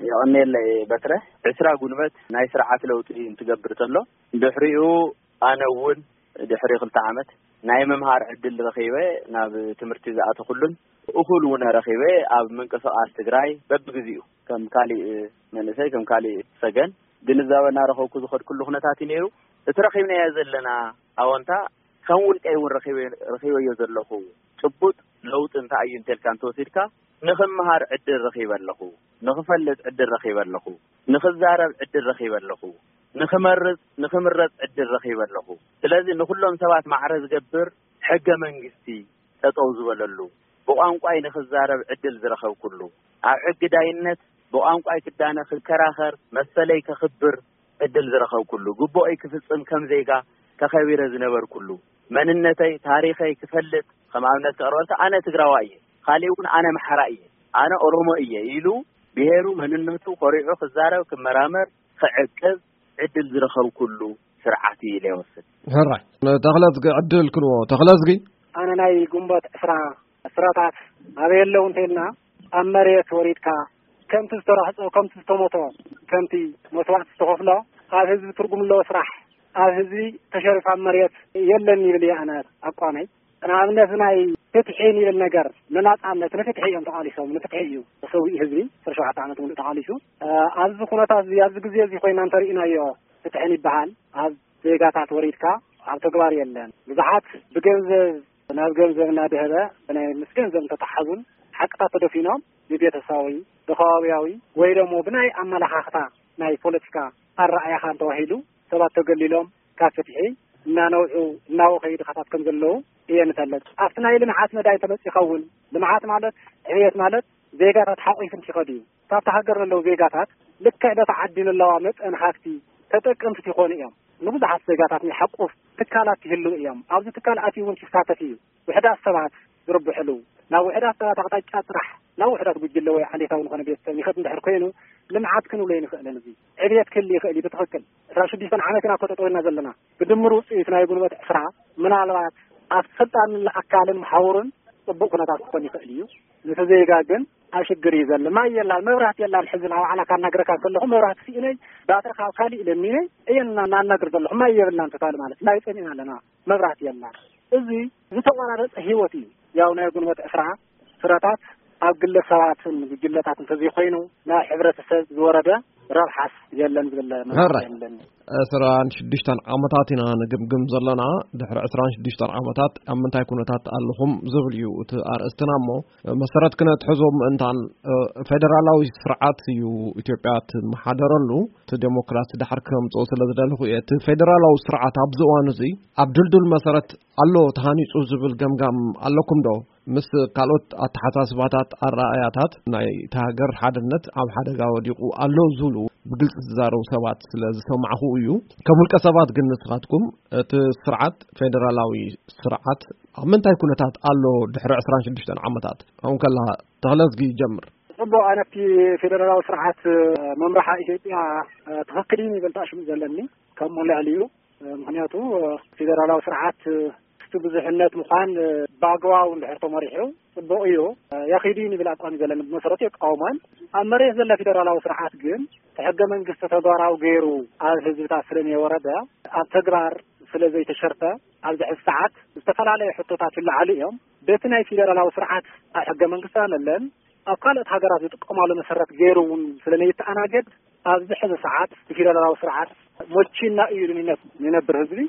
የቐንየለይ በትረ። ዕስራ ጉንበት ናይ ስርዓት ለውጢ እንትገብር ተሎ፣ ድሕሪኡ ኣነ እውን ድሕሪ ክልተ ዓመት ናይ ምምሃር ዕድል ረኺበ ናብ ትምህርቲ ዝኣተኹሉን እኹል እውን ረኺበ ኣብ ምንቅስቓስ ትግራይ በብግዜኡ ከም ካሊእ መንእሰይ፣ ከም ካሊእ ሰገን ግንዛበ እናረኸብኩ ዝኸድኩሉ ኩነታት እዩ ነይሩ። እቲ ረኺብናዮ ዘለና ኣወንታ ከም ውልቀይ እውን ረኺበ-፣ ረኺበዮ ዘለኹ ጭቡጥ ለውጢ እንታይ እዩ እንተልካ እንተወሲድካ፣ ንኽምሃር ዕድል ረኺበ ኣለኹ፣ ንኽፈልጥ ዕድል ረኺበ ኣለኹ፣ ንኽዛረብ ዕድል ረኺበ ኣለኹ፣ ንኽመርጽ፣ ንኽምረጽ ዕድል ረኺበ ኣለኹ። ስለዚ ንኹሎም ሰባት ማዕረ ዝገብር ሕገ መንግስቲ ጠጠው ዝበለሉ፣ ብቋንቋይ ንኽዛረብ ዕድል ዝረኸብኩሉ፣ ኣብ ሕጊ ዳይነት ብቋንቋይ ክዳነ ክከራኸር፣ መሰለይ ከኽብር ዕድል ዝረኸብኩሉ፣ ግቡኦይ ክፍጽም ከም ዜጋ ተኸቢረ ዝነበርኩሉ፣ መንነተይ፣ ታሪኸይ ክፈልጥ፣ ከም ኣብነት ከቕርበልካ፣ ኣነ ትግራዋይ እየ፣ ካሊእ እውን ኣነ ኣምሓራ እየ፣ ኣነ ኦሮሞ እየ ኢሉ ብሄሩ፣ መንነቱ ኮሪዑ ክዛረብ፣ ክመራመር፣ ክዕቅብ ዕድል ዝረኸብኩሉ ስርዓት እዩ ኢለ ይወስድ። ሕራይ፣ ንተኽለዝጊ ዕድል ክንዎ። ተኽለዝጊ። ኣነ ናይ ግንቦት ዕስራ ስራታት ኣበይ ኣለዉ እንተኢልና፣ ኣብ መሬት ወሪድካ ከምቲ ዝተረሕጾ፣ ከምቲ ዝተሞቶ፣ ከምቲ መስዋእቲ ዝተኸፍሎ ኣብ ህዝቢ ትርጉም ኣለዎ ስራሕ፣ ኣብ ህዝቢ ተሸሪፉ ኣብ መሬት የለን ይብል እየ ኣነ ኣቋመይ። ንኣብነት ናይ ፍትሒ ንብል ነገር፣ ንናጻነት፣ ንፍትሒ እዮም ተቓሊሶም፣ ንፍትሒ እዩ ተሰዊኡ ህዝቢ፣ ዕስራን ሸውዓተን ዓመት ሙሉእ ተቓሊሱ። እ፣ ኣብዚ ኩነታት እዚ፣ ኣብዚ ግዜ እዚ ኮይና እንተርኢናዮ ፍትሕን ይበሃል፣ ኣብ ዜጋታት ወሪድካ ኣብ ተግባር የለን። ብዙሓት ብገንዘብ ናብ ገንዘብ እናደሀበ ብናይ ምስ ገንዘብ እንተተሓዙን ሓቅታት ተደፊኖም ብቤተሰባዊ፣ ብከባቢያዊ ወይ ደሞ ብናይ ኣመለኻኽታ ናይ ፖለቲካ ኣረኣእያኻን ተባሂሉ ሰባት ተገሊሎም ካብ ፍትሒ እናነውሑ እናወኸዩ ድኻታት ከም ዘለዉ እየ ንፈልጥ። ኣብቲ ናይ ልምዓት መዳይ እንተመጺእካ እውን ልምዓት ማለት ዕብየት ማለት ዜጋታት ሓቒፉ እንትኸድ እዩ። ካብቲ ሃገር ዘለዉ ዜጋታት ልክዕ በቲ ዓዲ ንለዋ መጠን ሃፍቲ ተጠቀምቲ ይኾኑ እዮም። ንብዙሓት ዜጋታት ናይ ሓቁፍ ትካላት ይህልዉ እዮም። ኣብዚ ትካል ኣትዩ እውን ይሳተፍ እዩ። ውሕዳት ሰባት ዝርብሕሉ፣ ናብ ውሕዳት ሰባት ኣቕጣጫ ጥራሕ፣ ናብ ውሕዳት ጉጅለ ወይ ዓሌታዊ ዝኾነ ቤተሰብ ይኸድ እንድሕር ኮይኑ፣ ልምዓት ክንብሎ ኣይንኽእልን። እዚ ዕብየት ክህሉ ይኽእል እዩ ብትኽክል። ዕስራን ሽዱሽተን ዓመት ኢና እኮ ጠጠው ኢልና ዘለና። ብድምር ውፅኢት ናይ ጉንበት ዕስራ ምናልባት ኣብ ስልጣን ኣካልን መሓውርን ፅቡቕ ኩነታት ክኾን ይኽእል እዩ። ነቲ ዜጋ ግን ኣብ ሽግር እዩ ዘሎ። ማይ የላን፣ መብራህቲ የላን። ሕዚ ናብ ባዕላ ካናግረካ ከለኹ መብራህቲ ስኢነይ፣ ባትሪ ካብ ካሊእ ለሚነ እየ እና-፣ እናናግር ዘለኹ። ማይ የብልናን ተታሊ ማለት ማይ ጸሚእና ኣለና። መብራህቲ የላን። እዚ ዝተቆራረጸ ህይወት እዩ። ያው ናይ ጉንበት ዕስራ ስረታት ኣብ ግለሰባትን ጉጅለታት እንተዘይኮይኑ ናይ ሕብረተሰብ ዝወረደ ረብሓስ የለን ዝብል መብራህቲ ሕራይ። የለን። ዕስራን ሽዱሽተን ዓመታት ኢና ንግምግም ዘለና። ድሕሪ ዕስራን ሽዱሽተን ዓመታት ኣብ ምንታይ ኩነታት ኣለኹም ዝብል እዩ እቲ ኣርእስትና እሞ፣ መሰረት ክነትሕዞ ምእንታን፣ እ፣ ፌደራላዊ ስርዓት እዩ ኢትዮጵያ ትመሓደረሉ። እቲ ዴሞክራሲ ዳሕር ክምጽኦ ስለ ዝደለኹ እየ። እቲ ፌደራላዊ ስርዓት ኣብዚ እዋን እዚ ኣብ ድልዱል መሰረት ኣሎ ተሃኒጹ ዝብል ገምጋም ኣለኩም ዶ? ምስ ካልኦት ኣተሓሳስባታት፣ ኣረኣእያታት ናይ እታ ሃገር ሓድነት ኣብ ሓደጋ ወዲቑ ኣሎ ዝብሉ ብግልጺ ዝዛረቡ ሰባት ስለ ዝሰማዕኹ እዩ። ከም ውልቀ ሰባት ግን ንስኻትኩም እቲ ስርዓት፣ ፌደራላዊ ስርዓት ኣብ ምንታይ ኩነታት ኣሎ ድሕሪ ዕስራን ሽዱሽተን ዓመታት? ኣሁን ከላ ተኽለዝጊ ይጀምር። ጽቡቕ፣ ኣነ ኣብቲ ፌደራላዊ ስርዓት መምርሓ ኢትዮጵያ ትኽክል እዩ ይብል ኣሽሙ ዘለኒ። ካብ ሞላ ልዕሊኡ ምኽንያቱ ፌደራላዊ ስርዓት እቲ ብዙሕነት ምዃን ብኣግባቡ እንድሕር ተመሪሑ ጽቡቕ እዩ፣ የኺዱ እዩ ንብል ኣቋም እዩ ዘለኒ። ብመሰረቱ የቃውሞን። ኣብ መሬት ዘሎ ፌደራላዊ ስርዓት ግን እቲ ሕገ መንግስቲ ተግባራዊ ገይሩ ኣብ ህዝብታት ስለ ዘየወረደ ኣብ ተግባር ስለ ዘይተሸርፈ ኣብዚ ሕዚ ሰዓት ዝተፈላለዩ ሕቶታት ይለዓሉ እዮም። በቲ ናይ ፌደራላዊ ስርዓት ኣብ ሕገ መንግስቲ ኣለለን ኣብ ካልኦት ሃገራት ዝጥቀማሉ መሰረት ገይሩ እውን ስለ ዘይተኣናገድ ኣብዚ ሕዚ ሰዓት እቲ ፌደራላዊ ስርዓት ሞቺና እዩ ንነት ንነብር ህዝቢ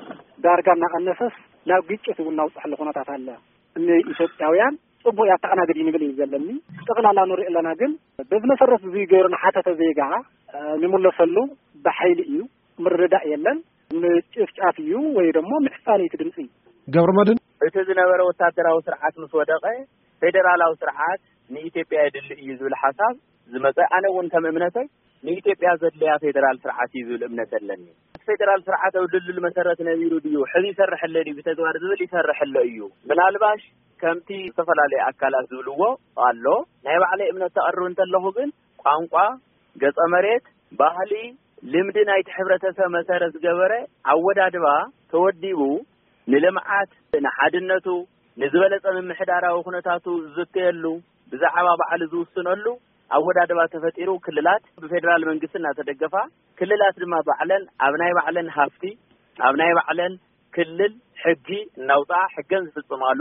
ዳርጋ እናቐነሰስ ናብ ግጭት እውን እናውፅሐሉ ኩነታት ኣለ። ንኢትዮጵያውያን ጽቡቕ ያተኣናግድ እዩ ንብል እዩ ዘለኒ። ጠቕላላ ንሪኦ ኣለና ግን በዚ መሰረት እዚ ገይሩ ንሓተተ ዜጋ፣ እ፣ ንምለሰሉ ብሓይሊ እዩ፣ ምርድዳእ የለን፣ ምጭፍጫፍ እዩ ወይ ደሞ ምሕጻን እዩ እቲ ድምጺ። ገብረ መድህን። እቲ ዝነበረ ወታደራዊ ስርዓት ምስ ወደቐ ፌደራላዊ ስርዓት ንኢትዮጵያ የድሊ እዩ ዝብል ሓሳብ ዝመጸ፣ ኣነ እውን ከም እምነተይ ንኢትዮጵያ ዘድልያ ፌደራል ስርዓት እዩ ዝብል እምነት ኣለኒ። እቲ ፌደራል ስርዓት ኣብ ድልድል መሰረት ነቢሩ ድዩ፣ ሕዚ ይሰርሐለ ድዩ፣ ብተግባር ዝብል ይሰርሐለ እዩ። ምናልባሽ ከምቲ ዝተፈላለዩ ኣካላት ዝብልዎ ኣሎ፣ ናይ ባዕለይ እምነት ተቕርብ እንተለኹ ግን ቋንቋ፣ ገጸ መሬት፣ ባህሊ፣ ልምዲ ናይቲ ሕብረተሰብ መሰረት ዝገበረ ኣወዳድባ ተወዲቡ ንልምዓት፣ ንሓድነቱ፣ ንዝበለጸ ምምሕዳራዊ ኩነታቱ ዝዝተየሉ፣ ብዛዕባ ባዕሉ ዝውስነሉ ኣወዳድባ ተፈጢሩ፣ ክልላት ብፌዴራል መንግስቲ እናተደገፋ፣ ክልላት ድማ ባዕለን ኣብ ናይ ባዕለን ሃፍቲ፣ ኣብ ናይ ባዕለን ክልል ሕጊ እናውፅኣ ሕገን ዝፍፅማሉ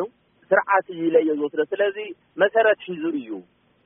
ስርዓት እዩ ኢለ እየ ዝወስዶ። ስለዚ መሰረት ሒዙ እዩ።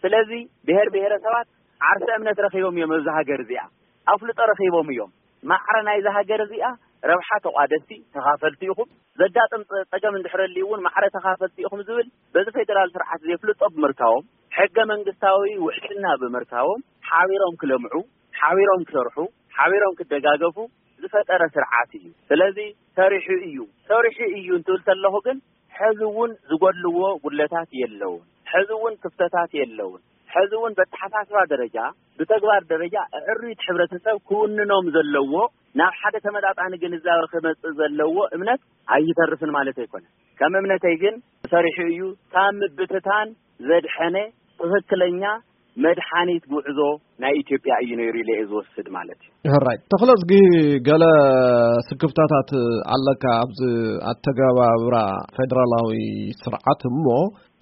ስለዚ ብሔር ብሔረሰባት ዓርሰ እምነት ረኺቦም እዮም ኣብዚ ሃገር እዚኣ፣ ኣፍልጦ ረኺቦም እዮም። ማዕረ ናይዚ ሃገር እዚኣ ረብሓ ተቋደስቲ፣ ተኻፈልቲ ኢኹም። ዘጋጥም ፀ- ፀገም እንድሕረልዩ እውን ማዕረ ተኻፈልቲ ኢኹም ዝብል በዚ ፌዴራል ስርዓት ዘፍልጦ ብምርካቦም፣ ሕገ መንግስታዊ ውሕስና ብምርካቦም፣ ሓቢሮም ክለምዑ፣ ሓቢሮም ክሰርሑ፣ ሓቢሮም ክደጋገፉ ዝፈጠረ ስርዓት እዩ። ስለዚ ሰሪሑ እዩ፣ ሰሪሑ እዩ እንትብል ከለኹ ግን ሕዚ እውን ዝጎድልዎ ጉድለታት የለውን። ሕዚ እውን ክፍተታት የለውን። ሕዚ እውን በተሓሳስባ ደረጃ፣ ብተግባር ደረጃ ኣዕሩይት ሕብረተሰብ ክውንኖም ዘለዎ፣ ናብ ሓደ ተመጣጣኒ ግንዛበ ክመጽእ ዘለዎ እምነት ኣይተርፍን ማለት ኣይኮነን። ከም እምነተይ ግን ሰሪሑ እዩ። ካብ ምብትታን ዘድሐነ ትኽክለኛ መድሓኒት ጉዕዞ ናይ ኢትዮጵያ እዩ ነይሩ ኢለ እየ ዝወስድ ማለት እዩ። ሕራይ ተኽለዝጊ፣ ገለ ስክፍታታት ኣለካ ኣብዚ ኣተገባብራ ፌደራላዊ ስርዓት እሞ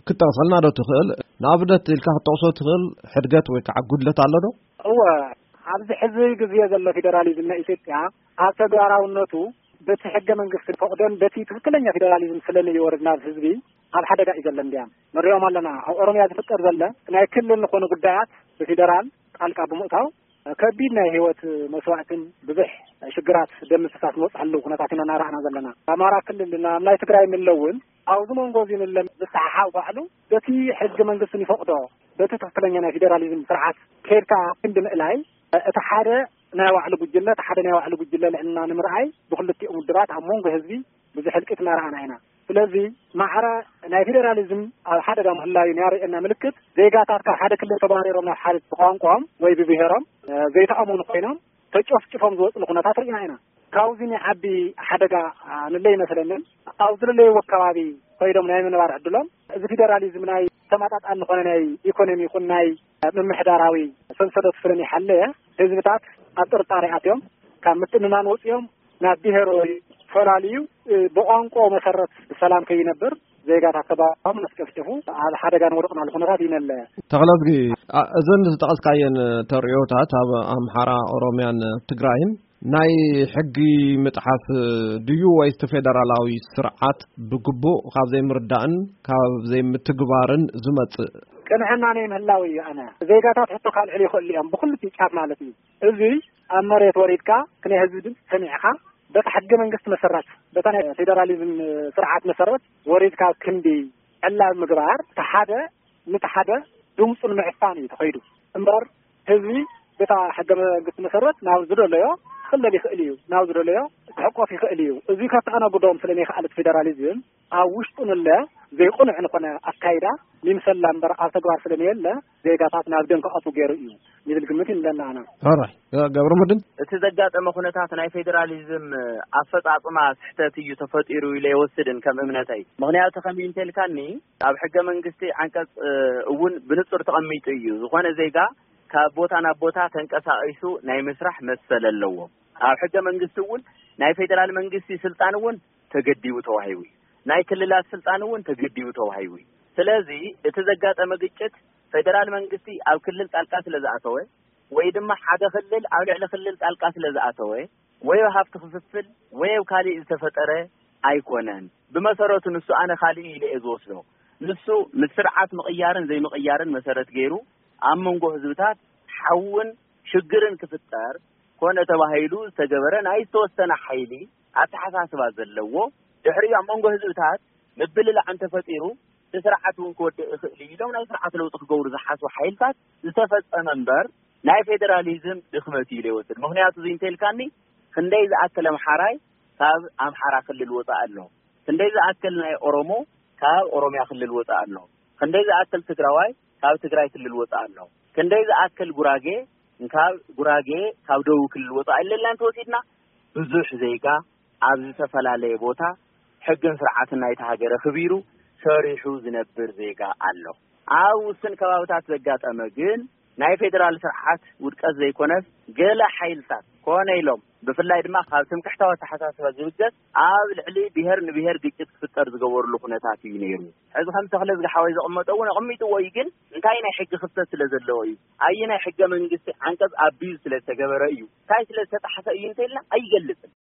ክትጠቕሰልና ዶ ትኽእል? ንኣብነት ኢልካ ክትጠቕሶ ትኽእል ሕድገት ወይ ከዓ ጉድለት ኣሎ ዶ? እወ፣ ኣብዚ ሕዚ ግዜ ዘሎ ፌደራሊዝም ናይ ኢትዮጵያ ኣብ ተግባራውነቱ በቲ ሕገ መንግስቲ ፈቕዶን በቲ ትኽክለኛ ፌደራሊዝም ስለንየወርድ ናብ ህዝቢ ኣብ ሓደጋ እዩ ዘሎ። እንዲያም ንሪኦም ኣለና። ኣብ ኦሮምያ ዝፍጠር ዘሎ ናይ ክልል ዝኾኑ ጉዳያት ብፌደራል ጣልቃ ብምእታው ከቢድ ናይ ህይወት መስዋዕትን ብዙሕ ሽግራት ደም ምፍሳስ ዝበፅሐሉ ኩነታት ኢና እናረኣና ዘለና። ኣማራ ክልል ናብ ናይ ትግራይ ምለውን ኣብዚ መንጎ እዚ ንለ ምስሓሓው ባዕሉ በቲ ሕጊ መንግስትን ይፈቕዶ በቲ ትኽክለኛ ናይ ፌደራሊዝም ስርዓት ከይድካ ክንዲ ምእላይ እቲ ሓደ ናይ ባዕሉ ጉጅለ፣ እቲ ሓደ ናይ ባዕሉ ጉጅለ ልዕልና ንምርኣይ ብክልቲኦም ውድባት ኣብ መንጎ ህዝቢ ብዙሕ ህልቂት እናረኣና ኢና። ስለዚ ማዕረ ናይ ፌደራሊዝም ኣብ ሓደጋ ምህላዩ ናርእየና ምልክት ዜጋታት ካብ ሓደ ክልል ተባሪሮም ናብ ሓደ ብቋንቋኦም ወይ ብብሔሮም ዘይተኣመኑ ኮይኖም ተጨፍጭፎም ዝወፅሉ ኩነታት ርኢና ኢና። ካብዚ ናይ ዓቢ ሓደጋ ንለ ይመስለንን ኣብ ዝለለይዎ ከባቢ ኮይዶም ናይ ምንባር ዕድሎም እዚ ፌደራሊዝም ናይ ተመጣጣኒ ዝኾነ ናይ ኢኮኖሚ ይኹን ናይ ምምሕዳራዊ ሰንሰለት ስለኒ ሓለየ ህዝብታት ኣብ ጥርጣሬ ኣትዮም ካብ ምትእምማን ወፂኦም ናብ ብሄር ወይ ፈላልዩ ብቋንቋ መሰረት ሰላም ከይነብር ዜጋታት ተባሮም ነስቀፍጭፉ ኣብ ሓደጋ ንወደቕናሉ ኩነታት ይነለ። ተኽለዝጊ፣ እዘን ዝጠቐስካየን ተርእዮታት ኣብ ኣምሓራ፣ ኦሮምያን ትግራይን ናይ ሕጊ ምጥሓስ ድዩ ወይስ እቲ ፌደራላዊ ስርዓት ብግቡእ ካብ ዘይምርዳእን ካብ ዘይምትግባርን ዝመጽእ? ቅንዕና ናይ ምህላው እዩ። ኣነ ዜጋታት ሕቶ ካልዕሉ ይኽእሉ እዮም ብኩሉ ጫፍ ማለት እዩ። እዚ ኣብ መሬት ወሪድካ ክናይ ህዝቢ ድምፂ ሰሚዕካ በታ ሕገ መንግስቲ መሰረት በታ ናይ ፌደራሊዝም ስርዓት መሰረት ወሪድካ ክንዲ ዕላብ ምግባር እቲ ሓደ ነቲ ሓደ ድምፁ ንምዕፋን እዩ ተኸይዱ እምበር ህዝቢ በታ ሕገ መንግስቲ መሰረት ናብ ዝደለዮ ክኽለል ይኽእል እዩ፣ ናብ ዝደለዮ ክሕቆፍ ይኽእል እዩ። እዚ ከተኣናግዶም ስለ ዘይከኣለት ፌደራሊዝም ኣብ ውሽጡ ንለ ዘይቕኑዕ ንኾነ ኣካይዳ ይምሰላ እምበር ኣብ ተግባር ስለ ዘየለ ዜጋታት ናብ ደም ክኣትዉ ገይሩ እዩ ንብል ግምት ይንለና ኣና። ሕራይ ገብረ መድን። እቲ ዘጋጠመ ኩነታት ናይ ፌደራሊዝም ኣፈፃፅማ ስሕተት እዩ ተፈጢሩ ኢለ ይወስድን ከም እምነተይ። ምኽንያቱ ከመይ እንተልካኒ ኣብ ሕገ መንግስቲ ዓንቀፅ እውን ብንፁር ተቐሚጡ እዩ። ዝኾነ ዜጋ ካብ ቦታ ናብ ቦታ ተንቀሳቒሱ ናይ ምስራሕ መሰል ኣለዎ። ኣብ ሕገ መንግስቲ እውን ናይ ፌደራል መንግስቲ ስልጣን እውን ተገዲቡ ተዋሂቡ እዩ። ናይ ክልላት ስልጣን እውን ተገዲቡ ተዋሂቡ እዩ። ስለዚ እቲ ዘጋጠመ ግጭት ፌደራል መንግስቲ ኣብ ክልል ጣልቃ ስለ ዝኣተወ ወይ ድማ ሓደ ክልል ኣብ ልዕሊ ክልል ጣልቃ ስለ ዝኣተወ ወይ ኣብ ሃፍቲ ክፍፍል ወይ ኣብ ካሊእ ዝተፈጠረ ኣይኮነን። ብመሰረቱ ንሱ ኣነ ካሊእ ኢለ እየ ዝወስዶ። ንሱ ምስ ስርዓት ምቕያርን ዘይምቕያርን መሰረት ገይሩ ኣብ መንጎ ህዝብታት ሓውን ሽግርን ክፍጠር ኮነ ተባሂሉ ዝተገበረ ናይ ዝተወሰነ ሓይሊ ኣተሓሳስባ ዘለዎ ድሕሪኡ ኣብ መንጎ ህዝብታት ምብልላዕ እንተፈጢሩ እቲ ስርዓት እውን ክወድእ ይኽእል እዩ ኢሎም ናይ ስርዓት ለውጢ ክገብሩ ዝሓስቡ ሓይልታት ዝተፈፀመ እምበር ናይ ፌደራሊዝም ድኽመት እዩ ኢለ ይወስድ። ምኽንያቱ እዚ እንተልካኒ ክንደይ ዝኣክል ኣምሓራይ ካብ ኣምሓራ ክልል ወፃእ ኣሎ፣ ክንደይ ዝኣክል ናይ ኦሮሞ ካብ ኦሮሚያ ክልል ወፃእ ኣሎ፣ ክንደይ ዝኣክል ትግራዋይ ካብ ትግራይ ክልል ወፃእ ኣሎ፣ ክንደይ ዝኣክል ጉራጌ ካብ ጉራጌ ካብ ደቡብ ክልል ወፃእ ኣለና እንተወሲድና ብዙሕ ዜጋ ኣብ ዝተፈላለየ ቦታ ሕግን ስርዓትን ናይቲ ሃገር ኣኽቢሩ ሰሪሑ ዝነብር ዜጋ ኣሎ። ኣብ ውስን ከባብታት ዘጋጠመ ግን ናይ ፌዴራል ስርዓት ውድቀት ዘይኮነስ፣ ገለ ሓይልታት ኮነ ኢሎም፣ ብፍላይ ድማ ካብ ትምክሕታዊ ኣተሓሳስባ ዝብገስ፣ ኣብ ልዕሊ ብሄር ንብሄር ግጭት ክፍጠር ዝገበርሉ ኩነታት እዩ ነይሩ። ሕዚ ከም ተኽለ ዝገሓወይ ዘቐመጠ እውን ኣቐሚጥዎ እዩ። ግን እንታይ ናይ ሕጊ ክፍተት ስለ ዘለዎ እዩ፣ ኣየ ናይ ሕገ መንግስቲ ዓንቀፅ ኣቢዩ ስለ ዝተገበረ እዩ፣ እንታይ ስለ ዝተጣሕሰ እዩ እንተልና ኣይገልፅን።